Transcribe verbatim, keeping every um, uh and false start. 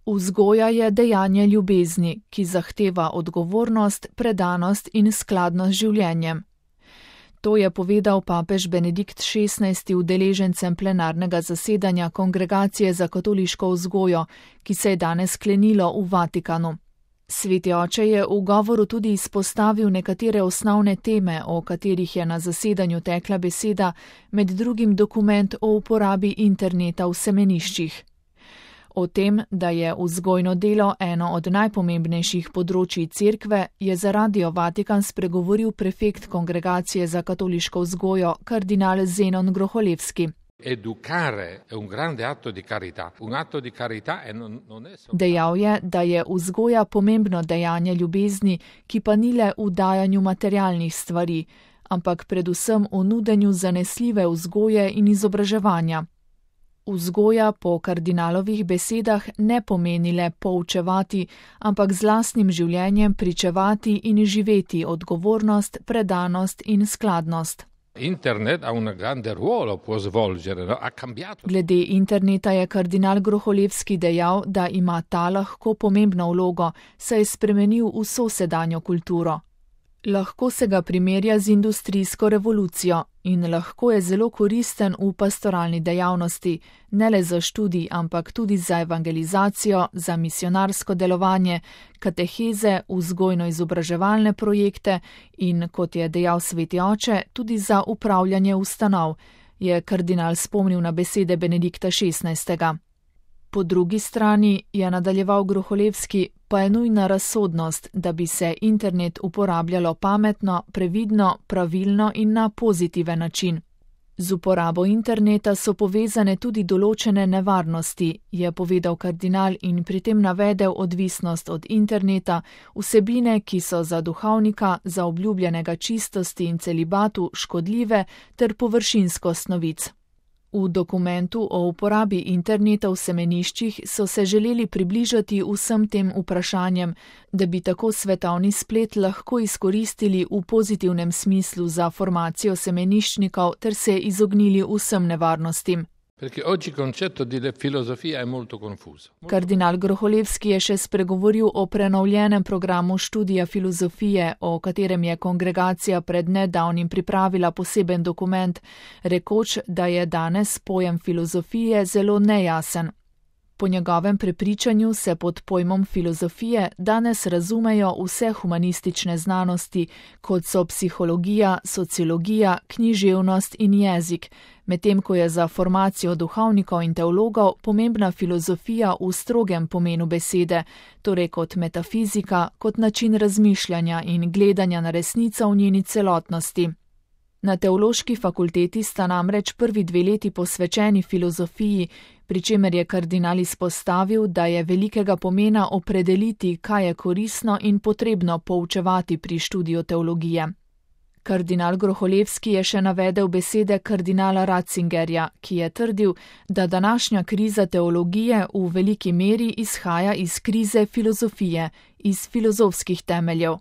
Vzgoja je dejanje ljubezni, ki zahteva odgovornost, predanost in skladnost z življenjem. To je povedal papež Benedikt šestnajsti udeležencem plenarnega zasedanja Kongregacije za katoliško vzgojo, ki se je danes sklenilo v Vatikanu. Sveti oče je v govoru tudi izpostavil nekatere osnovne teme, o katerih je na zasedanju tekla beseda, med drugim dokument o uporabi interneta v semeniščih. O tem, da je vzgojno delo eno od najpomembnejših področij cerkve, je za Radio Vatikan spregovoril prefekt Kongregacije za katoliško vzgojo, kardinal Zenon Groholevski. Dejal je, da je vzgoja pomembno dejanje ljubezni, ki pa ni le v dajanju materialnih stvari, ampak predvsem v nudenju zanesljive vzgoje in izobraževanja. Vzgoja po kardinalovih besedah ne pomeni le poučevati, ampak z lastnim življenjem pričevati in živeti odgovornost, predanost in skladnost. Internet ha un grande ruolo può svolgere, no? Ha cambiato. Glede interneta je kardinal Groholevski dejal, da ima ta lahko pomembno vlogo, saj je spremenil vso sedanjo kulturo. Lahko se ga primerja z industrijsko revolucijo in lahko je zelo koristen v pastoralni dejavnosti, ne le za študij, ampak tudi za evangelizacijo, za misionarsko delovanje, kateheze, vzgojno-izobraževalne projekte in, kot je dejal sveti oče, tudi za upravljanje ustanov, je kardinal spomnil na besede Benedikta šestnajstega. Po drugi strani, je nadaljeval Groholevski, pa je nujna razsodnost, da bi se internet uporabljalo pametno, previdno, pravilno in na pozitiven način. Z uporabo interneta so povezane tudi določene nevarnosti, je povedal kardinal in pri tem navedel odvisnost od interneta, vsebine, ki so za duhovnika, za obljubljenega čistosti in celibatu škodljive ter površinskost novic. V dokumentu o uporabi interneta v semeniščih so se želeli približati vsem tem vprašanjem, da bi tako svetovni splet lahko izkoristili v pozitivnem smislu za formacijo semeniščnikov ter se izognili vsem nevarnostim. Kardinal Groholevski je še spregovoril o prenovljenem programu študija filozofije, o katerem je kongregacija pred nedavnim pripravila poseben dokument, rekoč, da je danes pojem filozofije zelo nejasen. Po njegovem prepričanju se pod pojmom filozofije danes razumejo vse humanistične znanosti, kot so psihologija, sociologija, književnost in jezik, medtem ko je za formacijo duhovnikov in teologov pomembna filozofija v strogem pomenu besede, torej kot metafizika, kot način razmišljanja in gledanja na resnico v njeni celotnosti. Na teološki fakulteti sta namreč prvi dve leti posvečeni filozofiji, pri čemer je kardinal izpostavil, da je velikega pomena opredeliti, kaj je koristno in potrebno poučevati pri študiju teologije. Kardinal Groholevski je še navedel besede kardinala Ratzingerja, ki je trdil, da današnja kriza teologije v veliki meri izhaja iz krize filozofije, iz filozofskih temeljev.